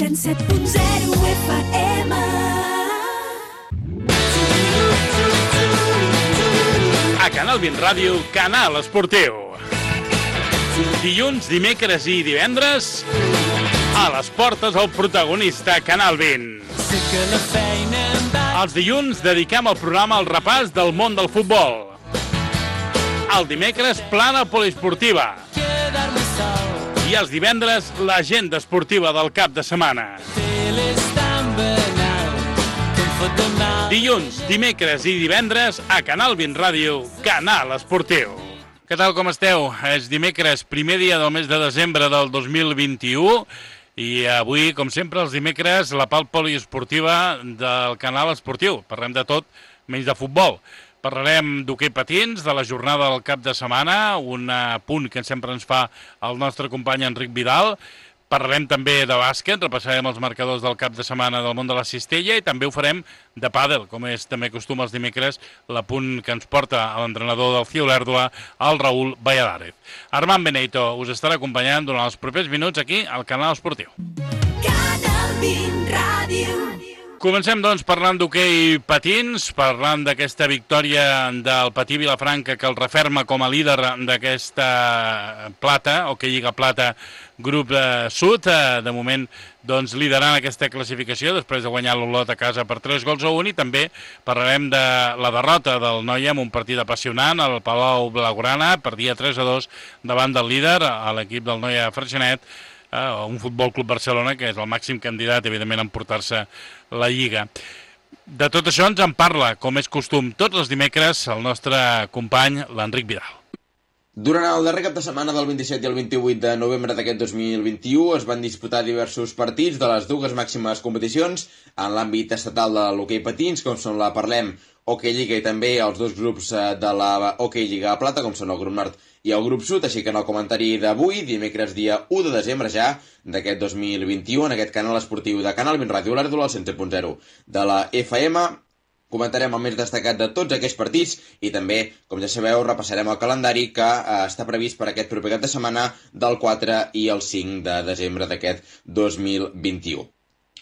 107.0 FM. A Canal 20 Ràdio, Canal Esportiu. Dilluns, dimecres i divendres, a les portes el protagonista Canal 20. Els dilluns dediquem el programa al repàs del món del futbol. El dimecres, plana poliesportiva. I els divendres, l'agenda esportiva del cap de setmana. Dilluns, dimecres i divendres, a Canal 20 Ràdio, Canal Esportiu. Què tal, com esteu? És dimecres, primer dia del mes de desembre del 2021, i avui, com sempre, els dimecres, la pal poliesportiva del Canal Esportiu. Parlem de tot, menys de futbol. Parlarem d'hoquei patins, de la jornada del cap de setmana, un punt que sempre ens fa el nostre company Enric Vidal. Parlarem també de bàsquet, repassarem els marcadors del cap de setmana del món de la cistella i també ho farem de pàdel, com és també costum els dimecres, l'apunt que ens porta l'entrenador del CIO Olèrdola, el Raül Valladares. Armand Benito us estarà acompanyant durant els propers minuts aquí al Canal Esportiu. Canal 20 Ràdio. Comencem, doncs, parlant d'hoquei patins, parlant d'aquesta victòria del Patí Vilafranca que el referma com a líder d'aquesta plata, hoquei Lliga Plata, grup sud, de moment doncs, liderant aquesta classificació després de guanyar l'Olot a casa per 3-1, i també parlarem de la derrota del Noia en un partit apassionant, al Palau Blaugrana, perdia 3-2 davant del líder, a l'equip del Noia Freixenet, un Futbol Club Barcelona que és el màxim candidat, evidentment, a emportar-se la Lliga. De tot això ens en parla, com és costum, tots els dimecres, el nostre company, l'Enric Vidal. Durant el darrer cap de setmana del 27 i el 28 de novembre d'aquest 2021 es van disputar diversos partits de les dues màximes competicions en l'àmbit estatal de l'hoquei patins, com són la Parlem Hoquei Lliga i també els dos grups de la Hoquei Lliga Plata, com són el grup nord i el grup sud, així que en el comentari d'avui, dimecres dia 1 de desembre ja d'aquest 2021, en aquest canal esportiu de Canal 20 Ràdio Olèrdola, al 107.0 de la FM, comentarem el més destacat de tots aquests partits i també, com ja sabeu, repassarem el calendari que està previst per aquest proper cap de setmana del 4 i el 5 de desembre d'aquest 2021.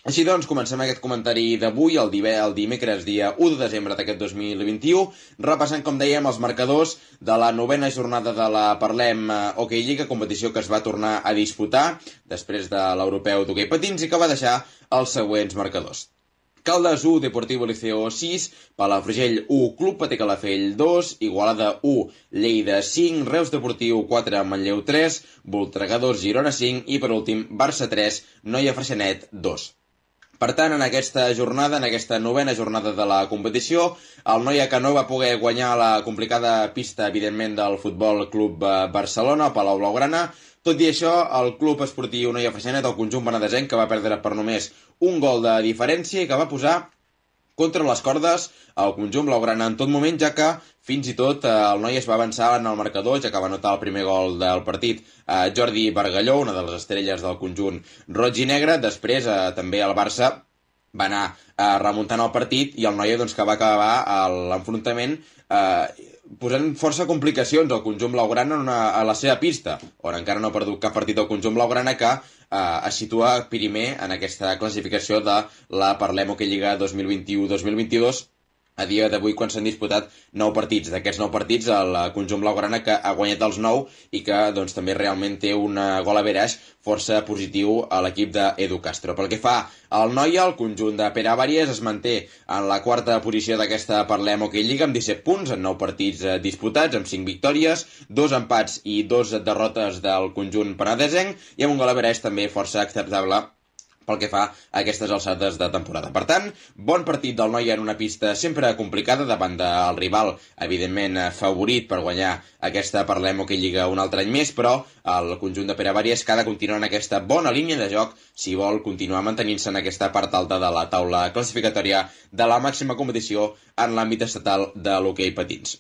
Així doncs, comencem aquest comentari d'avui, el dimecres dia 1 de desembre d'aquest 2021, repassant, com dèiem, els marcadors de la novena jornada de la Parlem Hoquei Lliga, competició que es va tornar a disputar després de l'europeu d'hoquei patins i que va deixar els següents marcadors. Caldes 1, Deportivo Liceo 6, Palafrugell 1, Club Patí Calafell 2, Igualada 1, Lleida 5, Reus Deportiu 4, Manlleu 3, Voltregà 2, Girona 5 i, per últim, Barça 3, Noia Freixenet 2. Per tant, en aquesta jornada, en aquesta novena jornada de la competició, el Noia que no va poder guanyar la complicada pista, evidentment, del Futbol Club Barcelona, Palau Blaugrana. Tot i això, el Club Esportiu Noia Freixenet, el conjunt penedesenc, que va perdre per només un gol de diferència i que va posar contra les cordes el conjunt blaugrana en tot moment, ja que fins i tot el Noia es va avançar en el marcador, ja que va anotar el primer gol del partit Jordi Bargalló, una de les estrelles del conjunt roig i negre. Després també el Barça va anar remuntant el partit i el Noia doncs, que va acabar l'enfrontament posant força complicacions al conjunt blaugrana a la seva pista, on encara no ha perdut cap partit al conjunt blaugrana, que es situa primer en aquesta classificació de la Parlem Hoquei Lliga 2021-2022, a dia d'avui, quan s'han disputat 9 partits. D'aquests 9 partits, el conjunt blaugrana que ha guanyat els 9 i que doncs, també realment té un gol average força positiu a l'equip d'Edu Castro. Pel que fa al Noia, el conjunt de Pere Àries es manté en la quarta posició d'aquesta Parlem Hoquei Lliga amb 17 punts en 9 partits disputats, amb 5 victòries, 2 empats i 2 derrotes del conjunt penedesenc i amb un gol average també força acceptable pel que fa a aquestes alçades de temporada. Per tant, bon partit del Noia en una pista sempre complicada davant del rival, evidentment favorit per guanyar aquesta Parlem Hoquei Lliga un altre any més, però el conjunt de Pere Àries que ha de continuar en aquesta bona línia de joc si vol continuar mantenint-se en aquesta part alta de la taula classificatòria de la màxima competició en l'àmbit estatal de l'hoquei patins.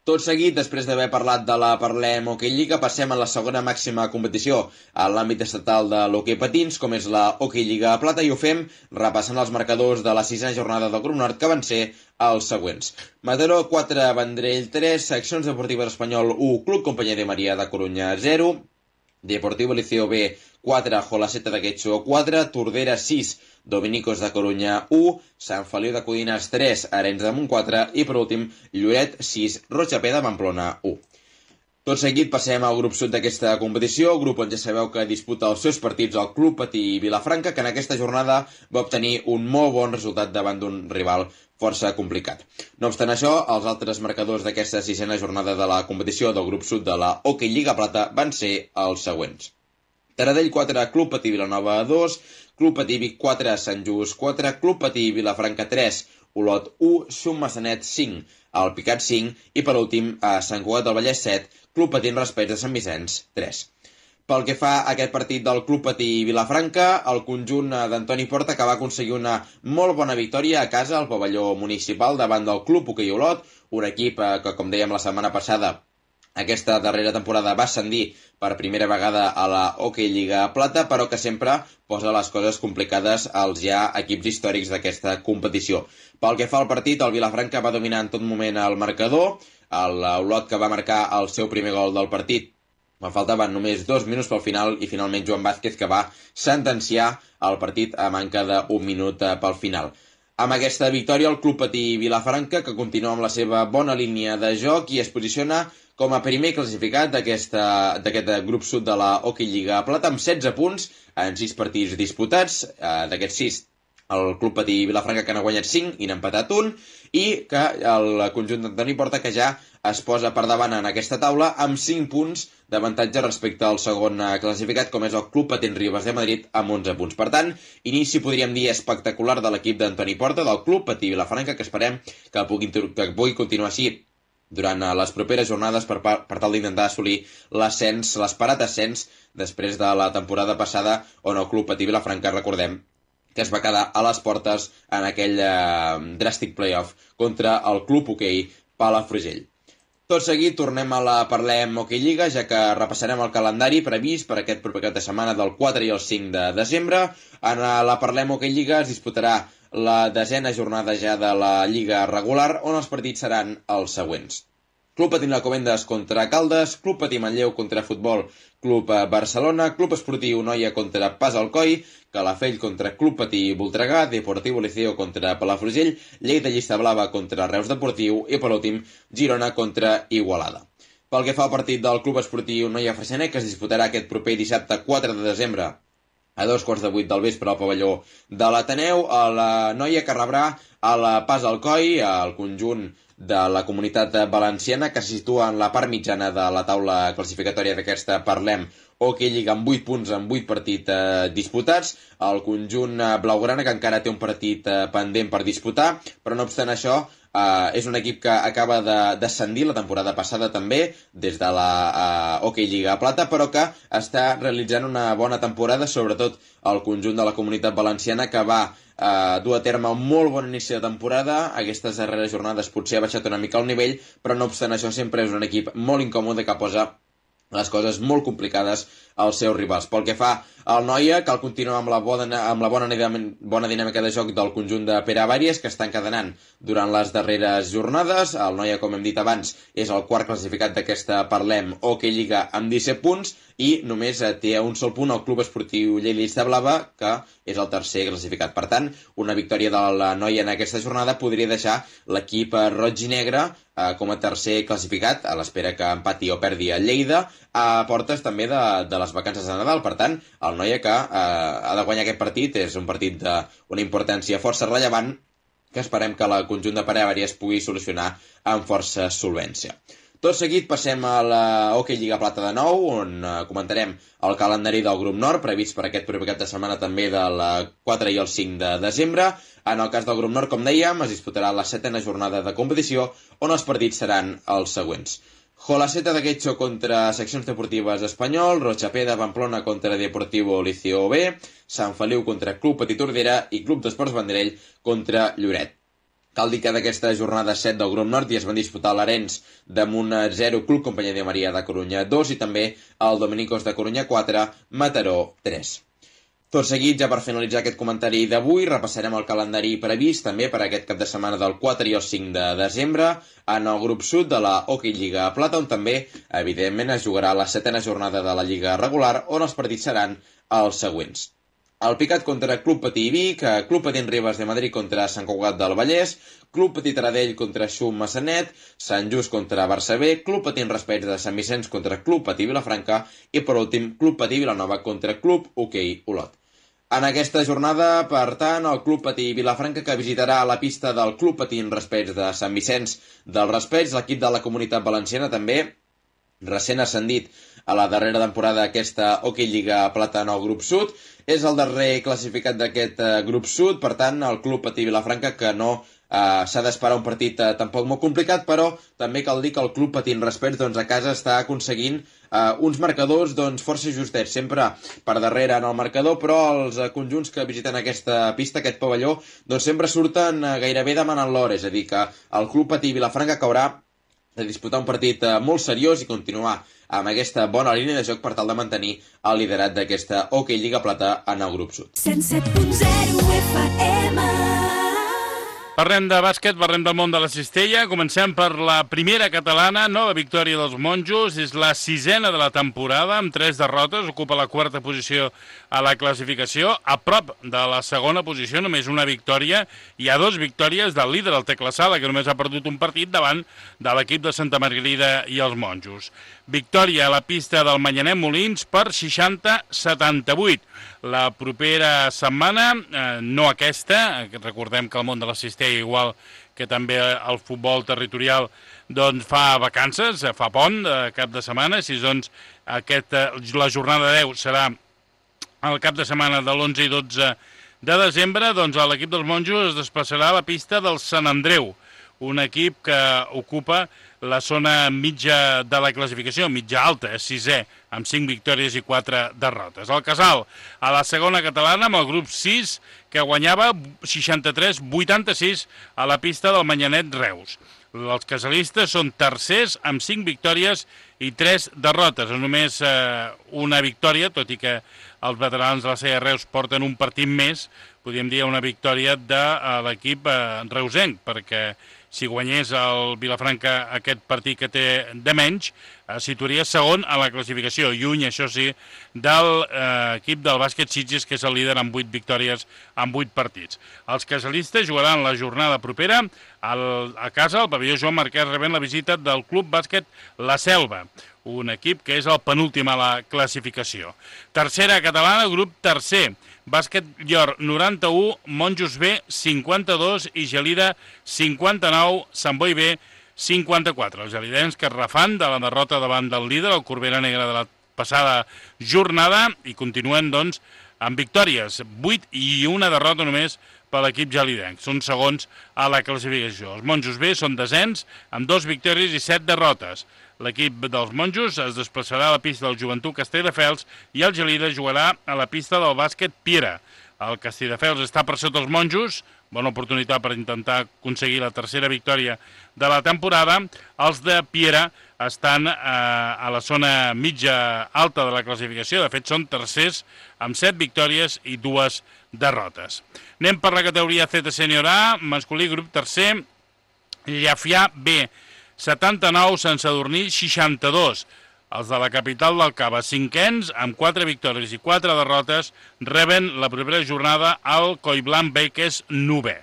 Tot seguit, després d'haver parlat de la Parlem Hoquei Lliga, passem a la segona màxima competició a l'àmbit estatal de l'hoquei patins, com és la Hoquei Lliga Plata, i ho fem repassant els marcadors de la sisena jornada del grup nord, que van ser els següents. Mataró 4, Vendrell 3, Seccions Deportives Espanyol 1, Club Companyia de Maria de Corunya 0, Deportivo Liceo B 4, Jolaceta de Guetxo 4, Tordera 6, Dominicos de Corunya 1, Sant Feliu de Codines 3, Arenys de Munt 4 i per últim Lloret 6, Rotxapé de Pamplona 1. Tot seguit passem al grup sud d'aquesta competició, grup on ja sabeu que disputa els seus partits el Club Patí Vilafranca, que en aquesta jornada va obtenir un molt bon resultat davant d'un rival força complicat. No obstant això, els altres marcadors d'aquesta sisena jornada de la competició del grup sud de la Hockey Lliga Plata van ser els següents. Taradell 4, Club Patí Vilanova 2, Club Patí Vic 4, Sant Just 4, Club Patí Vilafranca 3, Olot 1, Xum Massanet 5, el Picat 5 i per últim a Sant Cugat del Vallès 7, Club Patí Raspeig de Sant Vicenç 3. Pel que fa a aquest partit del Club Patí Vilafranca, el conjunt d'Antoni Porta que va aconseguir una molt bona victòria a casa al pavelló municipal davant del Club Hoquei Olot, un equip que, com dèiem la setmana passada, aquesta darrera temporada va ascendir per primera vegada a la Hockey Lliga Plata, però que sempre posa les coses complicades als ja equips històrics d'aquesta competició. Pel que fa al partit, el Vilafranca va dominar en tot moment el marcador, l'Olot que va marcar el seu primer gol del partit. Faltaven només 2 minuts pel final i finalment Joan Vázquez que va sentenciar el partit a manca d'1 minut pel final. Amb aquesta victòria, el Club Patí Vilafranca, que continua amb la seva bona línia de joc i es posiciona com a primer classificat d'aquest grup sud de la Hockey Lliga Plata amb 16 punts en 6 partits disputats. D'aquests 6, el Club Patí Vilafranca que n'ha guanyat 5 i n'ha empatat 1, i que el conjunt d'Antoni Porta que ja es posa per davant en aquesta taula amb 5 punts d'avantatge respecte al segon classificat, com és el Club Patí Ribes de Madrid, amb 11 punts. Per tant, inici, podríem dir, espectacular de l'equip d'Antoni Porta, del Club Patí Vilafranca, que esperem que pugui continuar així durant les properes jornades per tal d'intentar assolir l'ascens, l'esperat ascens, després de la temporada passada on el Club Patí Vilafranca, recordem, que es va quedar a les portes en aquell dràstic playoff contra el Club Hoquei Palafrugell. Tot seguit tornem a la Parlem Hockey Lliga, ja que repassarem el calendari previst per aquest proper cap de setmana del 4 i el 5 de desembre. En la Parlem Hockey Lliga es disputarà la 10a jornada ja de la Lliga regular, on els partits seran els següents. Club Patí Alcobendas contra Caldes, Club Patí Manlleu contra Futbol Club Barcelona, Club Esportiu Noia contra Pas Alcoi, Calafell contra Club Patí Voltregà, Deportivo Liceo contra Palafrugell, Lleida Llista Blava contra Reus Deportiu i, per últim, Girona contra Igualada. Pel que fa al partit del Club Esportiu Noia Freixenet, que es disputarà aquest proper dissabte 4 de desembre a 2:15 del vespre al pavelló de l'Ateneu, la Noia que rebrà el Pas Alcoi, el conjunt de la comunitat valenciana, que se situa en la part mitjana de la taula classificatòria d'aquesta Parlem Hockey Lliga amb 8 punts en 8 partits disputats. El conjunt blaugrana que encara té un partit pendent per disputar, però no obstant això és un equip que acaba d'ascendir la temporada passada també des de la Hockey Lliga Plata, però que està realitzant una bona temporada, sobretot el conjunt de la comunitat valenciana, que va dur a terme un molt bon inici de temporada. Aquestes darreres jornades potser ha baixat una mica el nivell, però no obstant això sempre és un equip molt incòmode que posa les coses molt complicades als seus rivals. Pel que fa al Noia, cal continuar amb la bona dinàmica de joc del conjunt de Pere Avàries, que està encadenant durant les darreres jornades. El Noia, com hem dit abans, és el quart classificat d'aquesta Parlem Hockey Lliga amb 17 punts i només té un sol punt el Club Esportiu Lleida Llista Blava, que és el tercer classificat. Per tant, una victòria de la Noia en aquesta jornada podria deixar l'equip roig i negre com a tercer classificat, a l'espera que empati o perdi a Lleida, a portes també de les vacances de Nadal. Per tant, el Noia que ha de guanyar aquest partit és un partit d'una importància força rellevant que esperem que el conjunt de Pere Avàries pugui solucionar amb força solvència. Tot seguit passem a la Hockey Lliga Plata de nou, on comentarem el calendari del grup nord, previst per aquest proper cap de setmana també del 4 i el 5 de desembre. En el cas del grup nord, com dèiem, es disputarà la 7a jornada de competició, on els partits seran els següents. Jolaceta de Guetxo contra Seccions Deportives Espanyol, Rotxapé de Pamplona contra Deportivo Liceo B, Sant Feliu contra Club Patí Tordera i Club d'Esports Vendrell contra Lloret. Cal dir que d'aquesta jornada 7 del grup nord ja es van disputar l'Arenys de Munt 0, Club Companyia de Maria de Corunya 2 i també el Dominicos de Corunya 4, Mataró 3. Tot seguit, ja per finalitzar aquest comentari d'avui, repassarem el calendari previst també per aquest cap de setmana del 4 i el 5 de desembre en el grup sud de la Hockey Lliga Plata, on també, evidentment, es jugarà la 7a jornada de la Lliga regular, on els partits seran els següents. El Picat contra Club Patí Vic, Club Patí Ribes de Madrid contra Sant Cugat del Vallès, Club Patí Taradell contra Xum Massanet, Sant Just contra Barça B, Club Patí Raspeig de Sant Vicenç contra Club Patí Vilafranca i, per últim, Club Patí Vilanova contra Club Hoquei Olot. En aquesta jornada, per tant, el Club Patí Vilafranca, que visitarà la pista del Club Patí Raspeig de Sant Vicenç del Raspeig, l'equip de la Comunitat Valenciana també, recent ascendit a la darrera temporada d'aquesta Hockey Lliga Plata en el grup sud, és el darrer classificat d'aquest grup sud, per tant, el Club Patí Vilafranca, que no s'ha d'esperar un partit tampoc molt complicat, però també cal dir que el Club Patí Raspeig a casa està aconseguint uns marcadors força justets, sempre per darrere en el marcador, però els conjunts que visiten aquesta pista, aquest pavelló, sempre surten gairebé demanant l'hora, és a dir, que el Club Patí Vilafranca que haurà de disputar un partit molt seriós i continuar amb aquesta bona línia de joc per tal de mantenir el liderat d'aquesta Hockey Lliga Plata en el grup sud. 107.0 FM. Parlem de bàsquet, parlem del món de la cistella. Comencem per la primera catalana, nova victòria dels monjos. És la 6a de la temporada, amb 3 derrotes. Ocupa la 4a posició a la classificació. A prop de la segona posició, només una victòria. Hi ha 2 victòries del líder, el Tecla Sala, que només ha perdut un partit davant de l'equip de Santa Margarida i els monjos. Victòria a la pista del Manyanet Molins per 60-78. La propera setmana, no aquesta, recordem que el món de la cistella, igual que també el futbol territorial, fa vacances, fa pont cap de setmana, si la jornada 10 serà el cap de setmana de l'11 i 12 de desembre, l'equip dels monjos es desplaçarà a la pista del Sant Andreu, un equip que ocupa la zona mitja de la classificació, mitja alta, és 6è, amb 5 victòries i 4 derrotes. El Casal, a la segona catalana, amb el grup 6, que guanyava 63-86 a la pista del Manyanet Reus. Els casalistes són tercers amb 5 victòries i 3 derrotes, només una victòria, tot i que els veterans de la CR Reus porten un partit més, podríem dir una victòria de l'equip reusenc, perquè si guanyés el Vilafranca aquest partit que té de menys, situaria segon a la classificació, lluny, això sí, de l'equip del bàsquet Sitges, que és el líder amb 8 victòries en 8 partits. Els casalistes jugaran la jornada propera a casa, al pavelló Joan Marquès, rebent la visita del Club Bàsquet La Selva, un equip que és el penúltim a la classificació. Tercera catalana, grup tercer, Bàsquet Llor 91, Monjos B 52 i Gelida 59, Sant Boi B 54. Els gelidens que es refan de la derrota davant del líder, el Corbera Negra de la passada jornada, i continuen amb victòries, 8 i una derrota només per l'equip gelidenc. Són segons a la classificació. Els Monjos B són descens amb 2 victòries i 7 derrotes. L'equip dels monjos es desplaçarà a la pista del Joventut Castelldefels i el Gelida jugarà a la pista del bàsquet Piera. El Castelldefels està per sota els monjos, bona oportunitat per intentar aconseguir la tercera victòria de la temporada. Els de Piera estan a la zona mitja alta de la classificació, de fet són tercers amb 7 victòries i 2 derrotes. Anem per la categoria Z Sènior A, masculí grup tercer, Llafià B 79, Sant Sadurní 62. Els de la capital del Cava, cinquens, amb 4 victòries i 4 derrotes, reben la propera jornada al Collblanc B, que és 9è.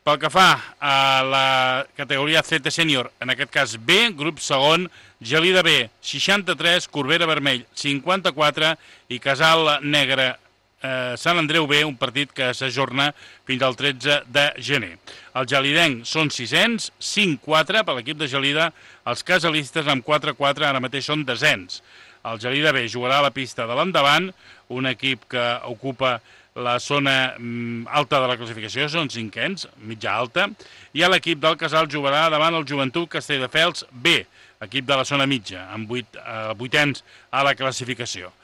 Pel que fa a la categoria Z Sènior, en aquest cas B, grup segon, Gelida B 63, Corbera Vermell 54 i Casal Negre Sant Andreu B, un partit que s'ajorna fins al 13 de gener. Els gelidencs són 600, 5-4 per l'equip de Gelida, els casalistes amb 4-4 ara mateix són descens. El Gelida B jugarà a la pista de l'Endavant, un equip que ocupa la zona alta de la classificació, són cinquens, mitja alta, i l'equip del Casal jugarà davant el Joventut Castelldefels B, equip de la zona mitja, amb 8ens a la classificació.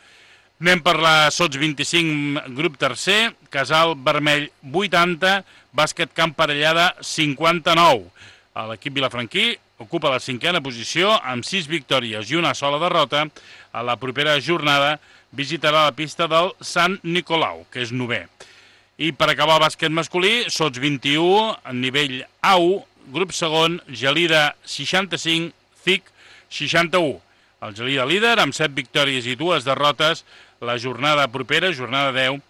Anem per la Sots 25, grup tercer, Casal Vermell 80, Bàsquet Camp Parellada 59. L'equip vilafranquí ocupa la 5a posició amb 6 victòries i una sola derrota. A la propera jornada visitarà la pista del Sant Nicolau, que és 9è. I per acabar el bàsquet masculí, Sots 21, nivell A1, grup segon, Gelida 65, CIC 61. El Gelida líder, amb 7 victòries i 2 derrotes, la jornada propera, jornada 10,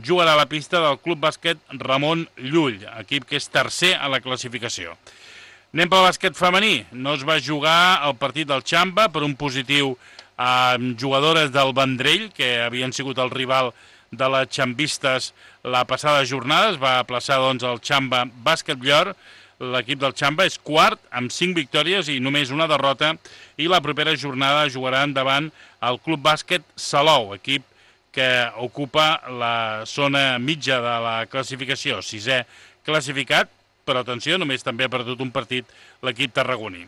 jugarà a la pista del Club Bàsquet Ramon Llull, equip que és tercer a la classificació. Anem pel bàsquet femení. No es va jugar el partit del Xamba per un positiu amb jugadores del Vendrell, que havien sigut el rival de les xambistes la passada jornada. Es va aplaçar doncs el Xamba Bàsquet Llor. L'equip del Xamba és quart amb 5 victòries i només una derrota, i la propera jornada jugaran davant el Club Bàsquet Salou, equip que ocupa la zona mitja de la classificació, 6è classificat, però atenció, només també ha perdut un partit l'equip tarragoní.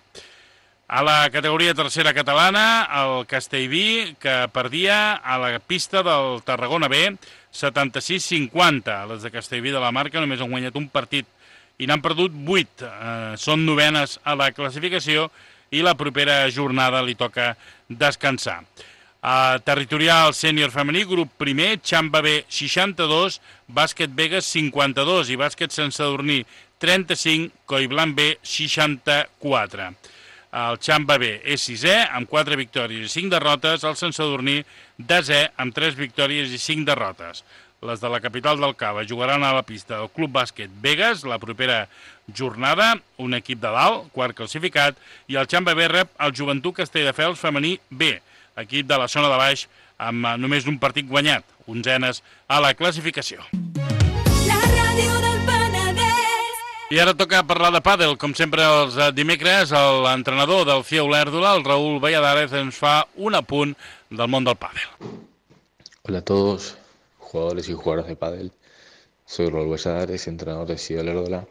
A la categoria tercera catalana, el Castellví, que perdia a la pista del Tarragona B 76-50. Les de Castellví de la Marca només han guanyat un partit i n'han perdut 8. Són novenes a la classificació i la propera jornada li toca descansar. Territorial sènior femení, grup primer, Xamba B 62, Bàsquet Vegas 52 i Bàsquet Sant Sadurní 35, Collblanc B 64. El Xamba B és 6è, amb 4 victòries i 5 derrotes, el Sant Sadurní 10è, amb 3 victòries i 5 derrotes. Les de la capital del Cava jugaran a la pista del Club Bàsquet Vegas la propera jornada, un equip de dalt, quart classificat, i el Xamba B rep el Joventut Castelldefels femení B, equip de la zona de baix amb només un partit guanyat, 11enes a la classificació. La ràdio del Penedès. I ara toca parlar de pàdel. Com sempre els dimecres, l'entrenador del FIA Olèrdola, el Raúl Valladares, ens fa un apunt del món del pàdel. Hola a todos, jugadores y jugadoras de pádel. Soy Raúl Valladares, entrenador de FIA Olèrdola,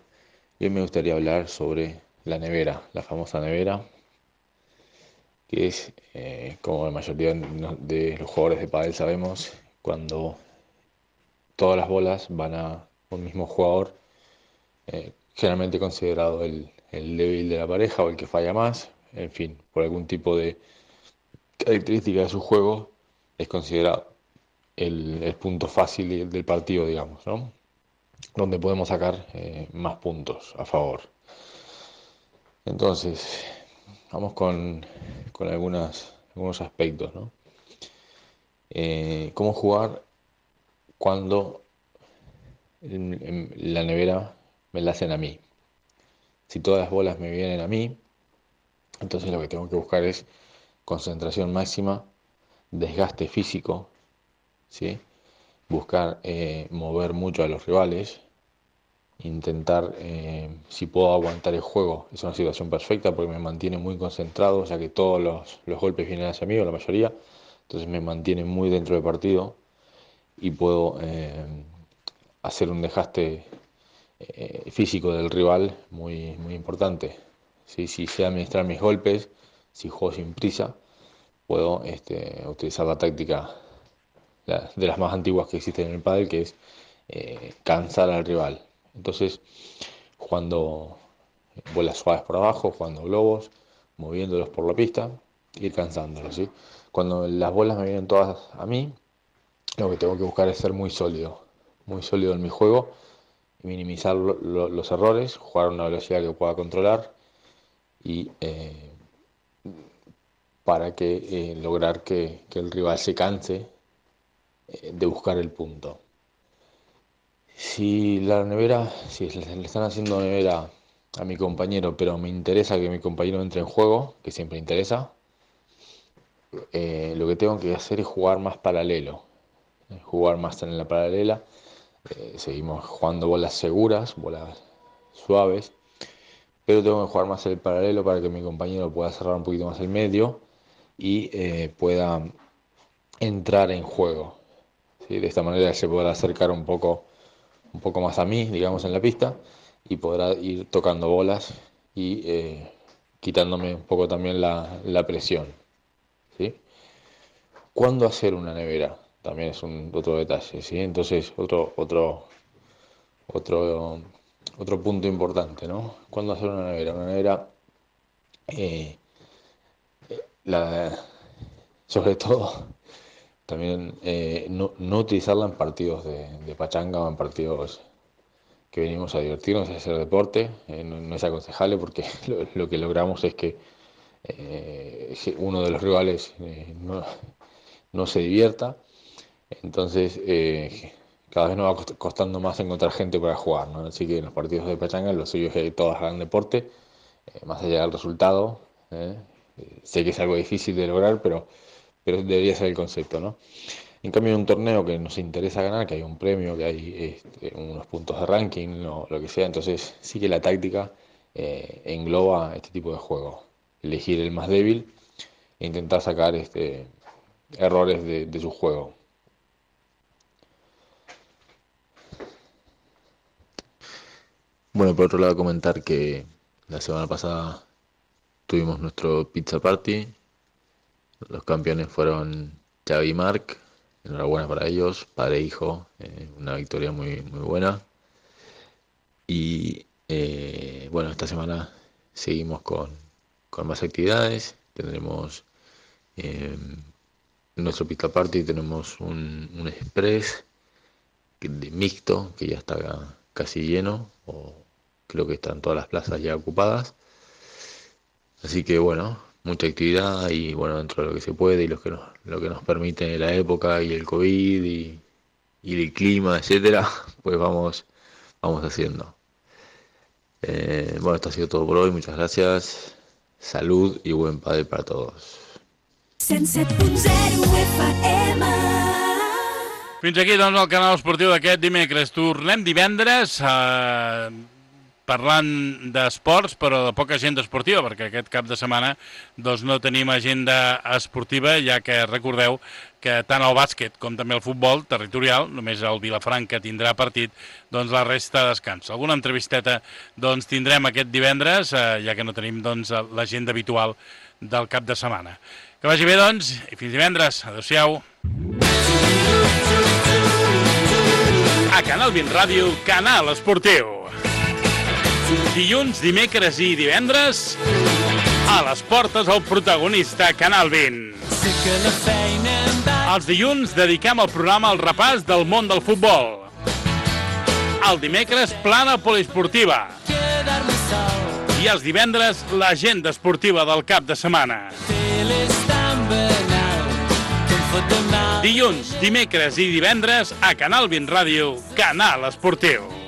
y hoy me gustaría hablar sobre la nevera, la famosa nevera, que es, como la mayoría de los jugadores de pádel sabemos, cuando todas las bolas van a un mismo jugador, generalmente considerado el débil de la pareja o el que falla más, en fin, por algún tipo de característica de su juego, es considerado el punto fácil del partido, digamos, ¿no? Donde podemos sacar más puntos a favor. Entonces, vamos con algunos aspectos, ¿no? ¿Cómo jugar cuando la nevera me la hacen a mí? Si todas las bolas me vienen a mí, entonces lo que tengo que buscar es concentración máxima, desgaste físico, ¿sí? Buscar mover mucho a los rivales, intentar, si puedo aguantar el juego, es una situación perfecta porque me mantiene muy concentrado, ya que todos los golpes vienen hacia mí, o la mayoría, entonces me mantiene muy dentro del partido y puedo hacer un desgaste físico del rival muy, muy importante. ¿Sí? Si sé administrar mis golpes, si juego sin prisa, puedo utilizar la táctica de las más antiguas que existen en el pádel, que es cansar al rival. Entonces, jugando bolas suaves por abajo, jugando globos, moviéndolos por la pista, ir cansándolos, ¿sí? Cuando las bolas me vienen todas a mí, lo que tengo que buscar es ser muy sólido en mi juego, minimizar los errores, jugar a una velocidad que pueda controlar y para que lograr que el rival se canse de buscar el punto. Si le están haciendo nevera a mi compañero, pero me interesa que mi compañero entre en juego, que siempre interesa, lo que tengo que hacer es jugar más paralelo, jugar más en la paralela. Seguimos jugando bolas seguras, bolas suaves, pero tengo que jugar más el paralelo para que mi compañero pueda cerrar un poquito más el medio y pueda entrar en juego, ¿sí? De esta manera se podrá acercar un poco más a mí, digamos, en la pista, y podrá ir tocando bolas y quitándome un poco también la presión, ¿sí? ¿Cuándo hacer una nevera? También es otro detalle, ¿sí? Entonces, otro punto importante, ¿no? ¿Cuándo hacer una nevera? Una nevera, sobre todo también no utilizarla en partidos de pachanga o en partidos que venimos a divertirnos, a hacer deporte. No es aconsejable porque lo que logramos es que uno de los rivales no se divierta. Entonces cada vez nos va costando más encontrar gente para jugar, ¿no? Así que en los partidos de pachanga lo suyo es que todos hagan deporte, más allá del resultado. Sé que es algo difícil de lograr, pero debería ser el concepto, ¿no? En cambio, en un torneo que nos interesa ganar, que hay un premio, que hay unos puntos de ranking, o lo que sea, entonces sí que la táctica engloba este tipo de juego. Elegir el más débil e intentar sacar errores de su juego. Bueno, por otro lado, comentar que la semana pasada tuvimos nuestro pizza party. Los campeones fueron Xavi y Marc. Enhorabuena para ellos, padre e hijo, una victoria muy, muy buena. Y bueno, esta semana seguimos con más actividades. Tendremos nuestro pizza party, tenemos un express de mixto que ya está casi lleno, o creo que están todas las plazas ya ocupadas. Así que bueno, mucha actividad y bueno, dentro de lo que se puede y lo que nos permite la época y el COVID y el clima, etcétera, pues vamos haciendo. Bueno, esto ha sido todo por hoy, muchas gracias, salud y buen pádel para todos. 107.0 FM. Fins aquí, doncs, el canal esportiu d'aquest dimecres. Tornem divendres parlant d'esports, però de poca agenda esportiva, perquè aquest cap de setmana doncs, no tenim agenda esportiva, ja que recordeu que tant el bàsquet com també el futbol territorial, només el Vilafranca tindrà partit, doncs la resta descansa. Alguna entrevisteta doncs, tindrem aquest divendres, ja que no tenim doncs, l'agenda habitual del cap de setmana. Que vagi bé, doncs, i fins divendres. Adéu-siau. A Canal 20 Ràdio, Canal Esportiu. Dilluns, dimecres i divendres, a les portes el protagonista Canal 20. Els dilluns dediquem el programa al repàs del món del futbol. El dimecres, plana poliesportiva. I els divendres, l'agenda esportiva del cap de setmana. Dilluns, dimecres i divendres, a Canal 20 Ràdio, Canal Esportiu.